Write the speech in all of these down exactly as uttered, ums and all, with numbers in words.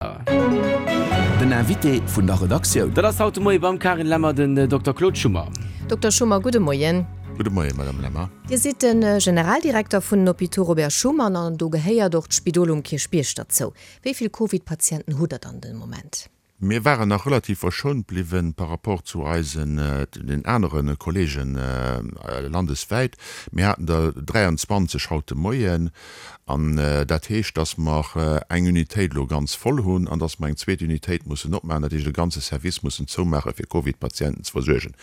Den Invité vun der Redaktioun. Dat ass haut de Moie beim Carine Lemmer den Dokter Claude Schummer. Dokter Schummer, gudde Moien. Gudde Moien, Madame Lemmer. Dir sidd de Generaldirekter vun den Hôpitaux Robert Schuman an do gehéiert och d'Spidol um Kierchbierg derzou. Wéi vill Covid-Patienten hutt Der dann den Moment? Mir waren nach relativ verschont bliwwen par rapport zu eisen, den anere Kollegen landeswäit. Mir haten der dräianzwanzeg haut de Moien. An dat heescht, dass mer eng Unitéit elo ganz voll hunn an dass mer eng zweet Unitéit mussen opmaachen, dat heescht e ganze Service mussen zoumaachen, fir Covid-Patienten ze versuergen.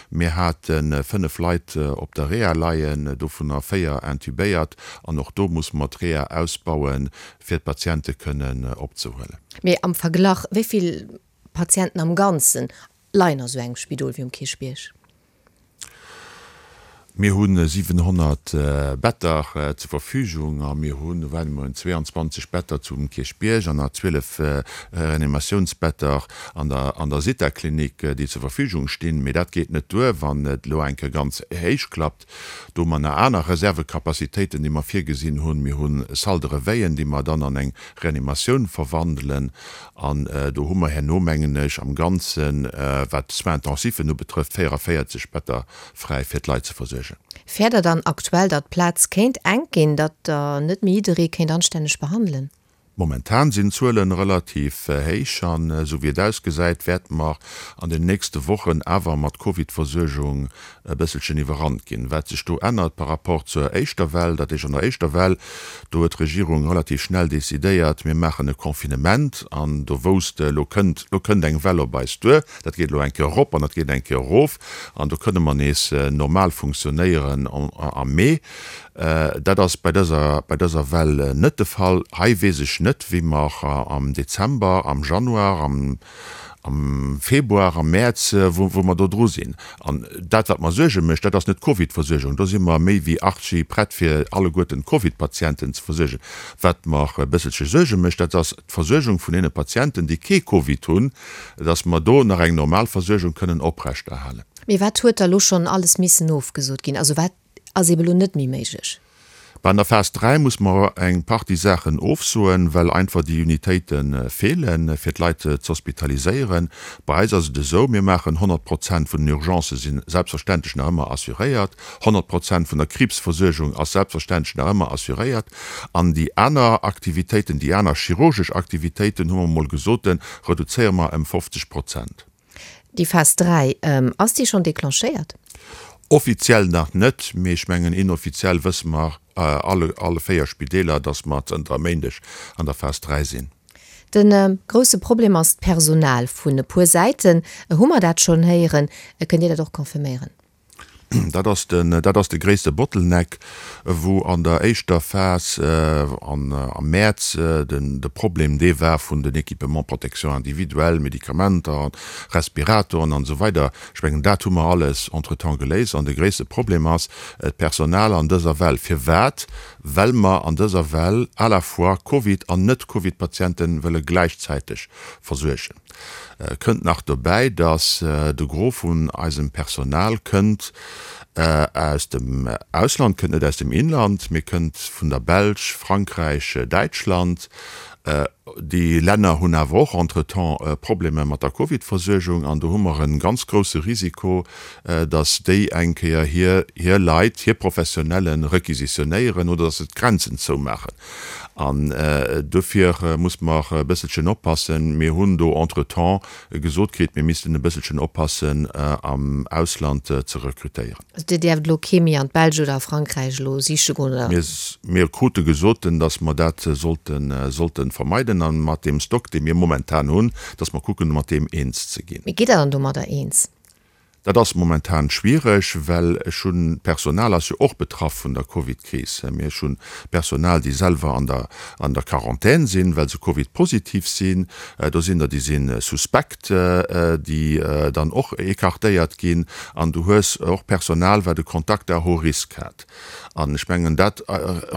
Mir hate fënnef Leit op der Reha leien, dovunner véier intubéiert. An och do musse mer d'Reha ausbauen, fir d'Patiente kënnen opzehuelen. Mee am Verglach, wéi vill Patienten am Ganzen leien a sou engem Spidol wéi um Kierchbierg? Mir hu siwenhonnert Better zur Verfügung a mir hunn, wat mir hunn, zweeanzwanzeg Better zum Kierchbierg an nach zwielef Reanimatiounsbetter an der an der Zithaklinik, déi zur Verfügung stinn. Mee dat geet net duer, wann et elo eng Kéier ganz héich klappt. Do hu mer nach aner Reservekapazitéiten, déi mer virgesinn hunn. Mir hu Salle de réveillen, déi mer dann an eng Reanimatioun verwandelen. An do hu mer herno, mengen ech, am Ganzen, wat d'Soins-intensifen ubetrëfft, véierevéierzeg Better fräi, fir d'Leit ze versuergen. Fäert Der dann aktuell, datt d'Plaz kéint enk ginn, datt Der net méi jidderee kéint anstänneg behandelen? Momentan sinn d'Zuele relativ héich an esou wéi et ausgesäit, wäerte mer an den nächste Wochen awer mat Covid-Versuergung e bësselchen iwwerrannt ginn. Wat sech do ännert par rapport zur éischter Well, dat heescht an der éischter Well, do huet d'Regierung relativ schnell decidéiert, mir maachen e Confinement an do wousst, elo kënnt, elo kënnt eng Well op eis duer, dat geet elo eng Kéier erop an dat geet eng Kéier erof an do kënne mer nees normal funktionéieren am Mee. Dat ass bei dëser, bei dëser Well net de Fall. Hei weess ech net, wéi mer am Dezember, am Januar, am, am Februar, am Mäerz, wou, wou mer do dru sinn. An dat, wat mer Suerge mécht, dat ass net d'Covid-Versuergung. Do si mer méi wéi archi prett, fir alleguerten d'Covid-Patienten ze versuergen. Wat mer e bësselche Suerge mécht, dat ass d'Versuergung vun deene Patienten, déi kee Covid hunn, dass mer do nach eng normal Versuergung kënnen oprechterhalen. Mee wat huet da lo schonn alles missen ofgesot ginn? Also wat ass eben elo net méi méiglech? Bah, an der Phas dräi muss mer eng Partie Saachen ofsoen, well einfach déi Unitéite feelen, fir d'Leit ze hospitaliséieren. Bei eis ass et esou, mir maachen honnert Prozent vun den Urgencë si selbstverständlech nach ëmmer assuréiert, honnert Prozent vun der Kriibsversuergung ass selbstverständlech nach ëmmer assuréiert an déi aner Aktivitéiten, déi aner chirurgesch Aktivitéiten, hu mer emol gesot, reduzéiere mer ëm fofzeg Prozent. Déi Phas dräi, ass déi schonn declenchéiert? Offiziell nach net, mee ech mengen inoffiziell wësse mer alle, alle véier Spideeler, datt mer zënter e Méindeg an der Phas dräi sinn. De grousse Problem ass d'Personal. Vun e puer Säiten hu mer dat schonn héieren. Kënnt Dir dat och confirméieren? Dat ass den, dat ass de gréisste Bottleneck, wou an der éischter Phas an am Mäerz den, de Problem dee war vun den Équipements protection individuelle, Medikamenter, Respiratoren an esou weider. Ech mengen, dat hu mer alles entretemps geléist. An de gréisste Problem ass d'Personal an dëser Well. Firwat? Well mer an dëser Well à la fois Covid an Net-Covid-Patiente wëlle gläichzäiteg versuergen. Kënnt nach dobäi, dass de Gros vun eisem Personal kënnt aus dem Ausland, kënnt net aus dem Inland, mee kënnt vun der Belsch, Frankräich, Däitschland. Déi Länner hunn awer och entretemps Problemer mat der Covid-Versuergung an do hu mer e ganz grousse Risiko, dass déi eng Kéier hir hir Leit, hir Professionelle requisitionéieren oder dass se d'Grenzen zoumaachen. An dofir muss mer e bësselchen oppassen. Mir hunn do entretemps gesot kritt, mir missten e bësselchen oppassen, am Ausland ze rekrutéieren. Also Dir däerft elo kee méi an d'Belsch oder a Frankräich elo siche goen, oder? Mir, mir krute gesoten, dass mer dat sollten, sollten vermeiden a mat deem Stock, dee mir momentan hunn, dass mer kucken, mat deem eens ze ginn. Mee gitt Der dann domadder eens? Dat ass momentan schwiereg, well ech hunn, d'Personal ass jo och betraff vun der Covid-Kris. Mir ech hunn Personal, déi selwer an der an der Quarantän sinn, well se Covid-positiv sinn. Do sinn der, déi si suspekt, déi dann och écartéiert ginn. An du hues och Personal, wat e Contact à haut risque hat. An ech mengen, dat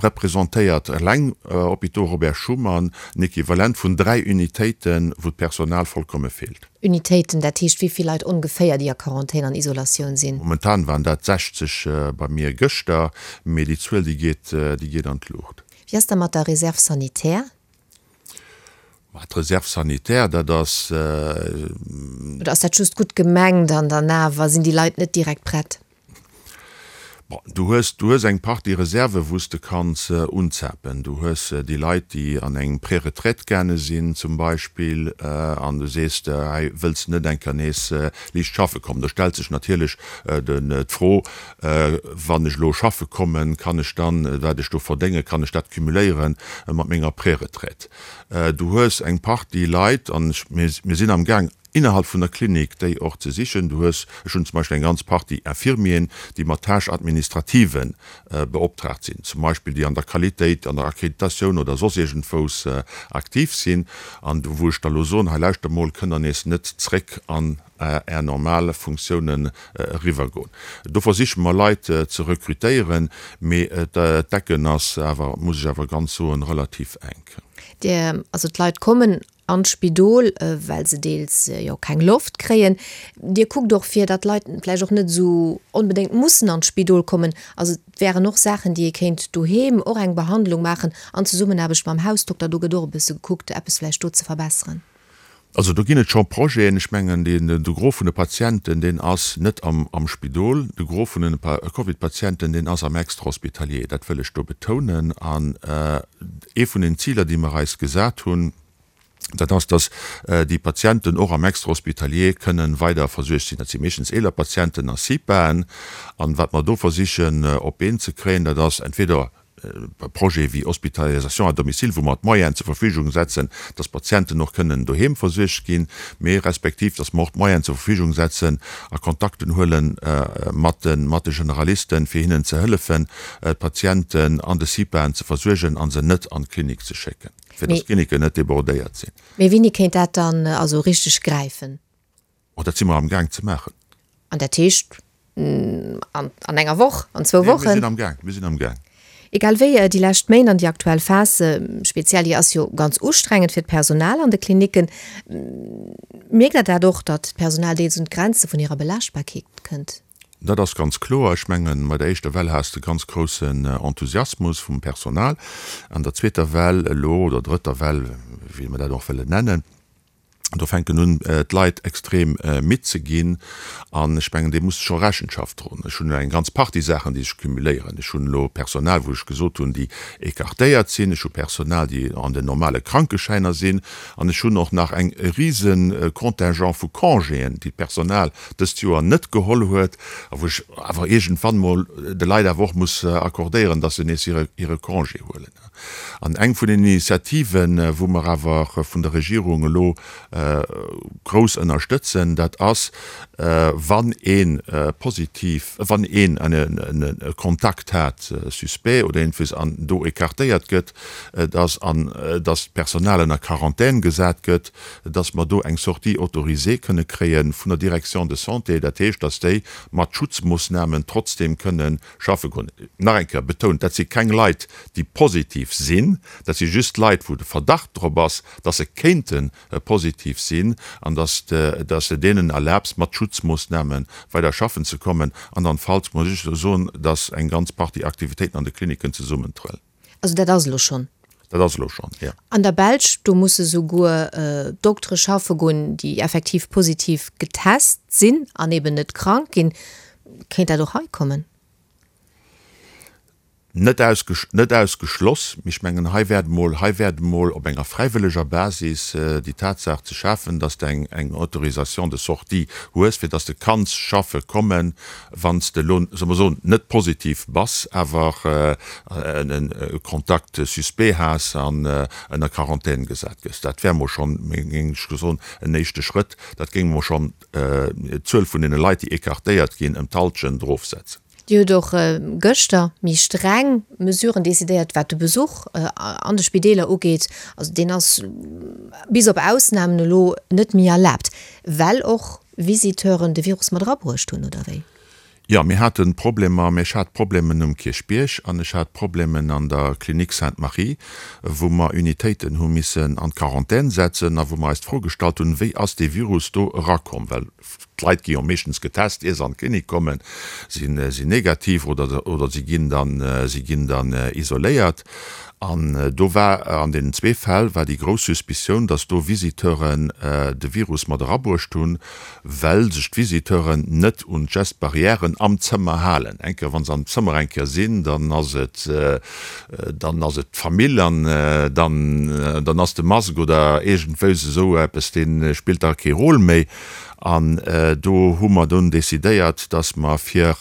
representéiert eleng Hôpitaux Robert Schuman en Equivalent vun dräi Unitéiten, wou d'Personal vollkomme feelt. Unitéiten, dat heescht wéi vill Leit ongeféier, déi a Quarantän an Isolatioun sinn? Momentan waren dat sechzeg bei mir gëschter, mee déi Zuel, déi geet, déi geet an d'Luucht. Wéi ass da mat der Réserve sanitaire? D'Réserve sanitaire, dat ass. Oder ass dat just gutt gemengt an dann awer sinn déi Leit net direkt prett? Bon, du hues, du hues eng Partie Reserven, wou s de kanns unzapen. Du hues déi Leit, déi an eng Préretraite gaange sinn zum Beispill, an du sees, hei wëlls de net eng Kéier nees liicht schaffe kommen. Do stellt sech natierlech d'Fro, Wann ech elo schaffe kommen, kann ech dann, wat ech do verdéngen, kann ech dat cumuléiere mat menger Préretraite? Du hues eng Partie Leit, an mir sinn amgaang, innerhalb vun der Klinik déi och ze sichen. Du hues, ech hunn zum Beispill eng ganz Partie Infirmieren, déi mat Tâches administrativen beoptraagt sinn, zum Beispill déi an der Qualitéit, an der Accréditatioun oder soss iergendwous aktiv sinn, an wou ech da elo soen, hei lauschter mol, kënnt der nees net zréck an Är normal Funktiounen eriwwergoen. Do versiche mer Leit ze rekrutéieren, mee d'Decken ass awer, muss ech awer ganz soen, relativ enk. Dir, also d'Leit kommen an d'Spidol, well se deels jo keng Loft kréien. Dir kuckt och fir, datt d'Leit vläicht och net esou onbedéngt mussen an d'Spidol kommen. Also et wären och Saachen, déi ee kéint doheem och eng Behandlung maachen an Zesummenaarbecht mam Hausdokter. Do gëtt och e bësse gekuckt, eppes vläicht do ze verbesseren. Also do ginn et scho Projeten. Ech mengen, de Gros vun de Patienten, deen ass net am Spidol. De Gros vun de Covid-Patienten, deen ass am Extra-hospitalier. Dat wëll ech do betounen. An ee vun den Ziler, déi mer eis gesat hunn, dat ass, dass déi Patienten och am Extra-hospitalier kënnen weider versuergt sinn. Dat si meeschtens eeler Patienten a CIPAen. An wat mer do versichen op d'Been ze kréien, dat ass entweder Projete wéi Hospitalisation à domicile, wou mer d'Moyenen zur Verfügung setzen, dass d'Patienten och kënnen doheem versuergt ginn, mee respektiv dass mer och d'Moyenen zur Verfügung setzen a Kontakten huele mat de Generalisten, fir hinnen ze hëllefen, d'Patienten an de CIPAen ze versuergen a se net an d'Klinik ze schécken, fir dass d'Kliniken net débordéiert sinn. Mee wéini kéint dat dann also richteg gräifen? Oh, dat si mer amgaang ze maachen. An dat heescht an enger Woch, an zwou Wochen? Mir sinn amgaang, mir sinn amgaang. Egal wéi, déi lescht Méint an déi aktuell Phas speziell, déi ass jo ganz ustrengend fir d'Personal an de Klinicken. Mierkt Der dat och, datt d'Personal deels un d'Grenze vun hirer Belaaschtbarkeet kënnt? Dat ass ganz kloer. Ech mengen, bei der éischter Well has de ganz groussen Enthusiasmus vum Personal. An der zweeter Well elo, oder drëtter Well, wéi mer dat och wëllen nennen, do fänken un d'Leit extrem midd ze ginn. An ech mengen, deem muss de scho Rechenschaft droen. Ech hunn elo eng ganz Partie Saachen, déi sech cumuléieren. Ech hunn elo Personal, wou ech gesot hunn, déi écartéiert sinn. Ech hu Personal, déi an den normale Krankeschäiner sinn. An ech hunn och nach eng e rise Contingent vu Congéen, déi d'Personal dëst Joer net geholl huet a wou ech awer iergendwann emol de Leit awer och muss accordéieren, dass se nees hire hire Congé huelen. An eng vun den Initiativen, wou mer awer vun der Regierung elo grouss ënnerstëtzen, dat ass, wann ee positiv, wann een e Kontakt hat, suspect oder iergendwéis, an do écartéiert gëtt, dass an dass d'Personal ënner Quarantän gesat gëtt, dass mer do eng Sortie autorisée kënne kréie vun der Direction de santé, dat heescht, dass déi mat Schutzmoossnamen trotzdem kënne schaffe goen. Nach eng Kéier betount, dat si keng Leit, déi positiv sinn, dat si just Leit, wou de Verdacht drop ass, dass se kéinte positiv sinn an dass dass de deenen erlaabs, mat Schutzmoossname weider schaffen ze kommen. Andernfalls muss ech soen, dass eng ganz Partie Aktivitéiten an de Klinicken zesummentrëllen. Also dat ass elo schonn. Dat ass elo schonn, jo. An der Belsch, do musse souguer Doktere schaffe goen, déi effektiv positiv getest sinn an eben net krank ginn. Kéint dat och hei kommen? Net ausgeschloss, mee ech mengen, hei wäert emol, hei wäert emol op enger fräiwëlleger Basis déi Tatsaach ze schafen, dass de eng, eng Autorisation de sortie hues, fir dass de kanns schaffe kommen, wann s de elo, solle mer soen, net positiv bass, awer e Contact suspect has an ënner Quarantän gesat gëss. Dat wär emol schonn, géing ech soen, en éischte Schrëtt. Dat géing emol schonn d'Zuel vun deene Leit, déi écartéiert ginn, ëm d'Hallschent erofsetzen. Dir hutt och gëschter méi streng Mesuren decidéiert, wat de Besuch an de Spideeler ugeet. Also deen ass bis op Ausnamen elo net méi erlaabt, well och Visiteuren de Virus mat erabruecht hunn, oder wéi? Jo, mir hate Problemer, mä ech hat Problemen um Kierchbierg an ech hat Problemen an der Clinique Sainte-Marie, wou mer Unitéiten hu missen an d'Quarantän setzen a wou mer eis d'Fro gestallt hunn, wéi ass dee Virus do erakomm, well D'Leit gi jo meeschtens getest, ier se an d'Klinik kommen, sinn negativ oder oder si ginn dann si ginn dann isoléiert. An do war an deenen zwee Fäll war déi grouss Suspicioun, datt do Visiteuren de Virus mat erabruecht hunn, well sech d'Visiteuren net un d'Gestes barrièren am Zëmmer halen. Eng Kéier, wa se am Zëmmer eng Kéier sinn, dann ass et dann ass et d'Famill an dann dann ass de Mask oder iergendwéis esou eppes, dee spillt da kee Rôle méi. An do hu mer dunn decidéiert, dass mer, fir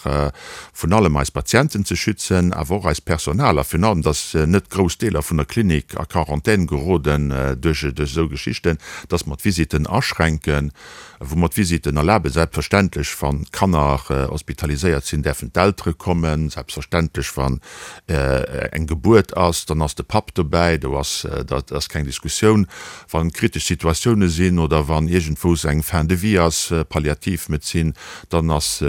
vun allem eis Patienten ze schützen, awer och eist Personal a virun allem, dass net grouss Deeler vun der Klinik a Quarantän geroden duerch esou Geschichten, dass mer d'Visitten aschränken, wou mer d'Visitten erlaben. Selbstverständlech, wann d'Kanner hospitaliséiert sinn, däerfen d'Eltere kommen. Selbstverständlech, wann eng Gebuert ass, dann ass de Papp dobäi, do ass, dat ass keng Diskussioun. Wann kritesch Situatioune sinn oder wann iergendwous eng Fin de vie ass, Palliativmedezin, dann ass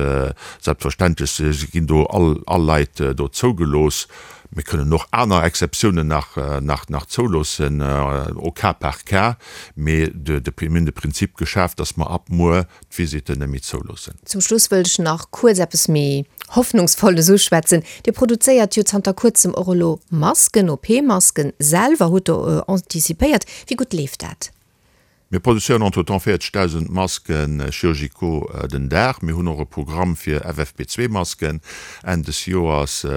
selbstverständlech, ginn do all all Leit do zougelooss. Mir kënnen och aner Exceptiounen nach nach nach zouloossen, au cas par cas, mee de de mir hunn de Prinzip geschaaft, dass mer ab muer d'Visitten net méi zouloossen. Zum Schluss wëllt ech nach kuerz eppes méi Hoffnungsvolles uschwätzen. Dir produzéiert jo zanter kuerzem och elo Masken, OP-Masken, selwer, hutt Der anticipéiert. Wéi gutt leeft dat? Mir produzéieren entretemps véierzegdausend Masken chirurgicaux den Dag. Mir hunn och e Programm fir F F P zwee Masken Enn des Joers ze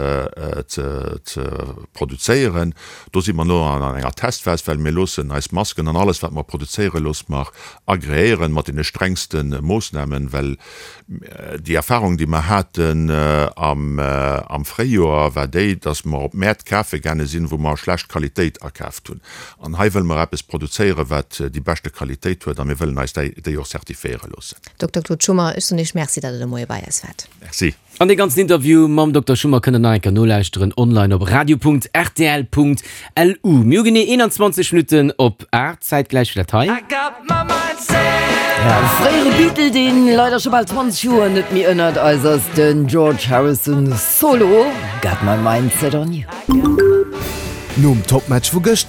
produzéieren. Do si mer elo an enger Testphas, well mir loossen eis Masken an alles wat mer produzéieren, loosse mer agreéieren mat deene strengste Moossnamen, well déi Erfahrung déi mer haten am Fréijoer war déi, datt mer op Mäert kafe gaange sinn, wou mer schlecht Qualitéit akaaft hunn. An hei wëlle mer eppes produzéieren, wat déi beschte Qualitéit huet a mir wëllen eis déi och zertifiéiere loossen. Dokter Claude Schummer, ech soen Iech Merci, datt Der de Moie bei eis waart. Merci. An dee ganzen Interview mam Dokter Schummer kënnt der nach eng Kéier nolauschteren online op radio.rtl.lu. Mir hu genee eenanzwanzeg Minutten op aacht, zäitgläich fir dat hei. E fréiere Beatle, deen leider scho bal zwanzeg Joer net méi ënnert eis ass, den George Harrison, Solo, Got My Mind Set On You. Nom Topmatch vu gëschter.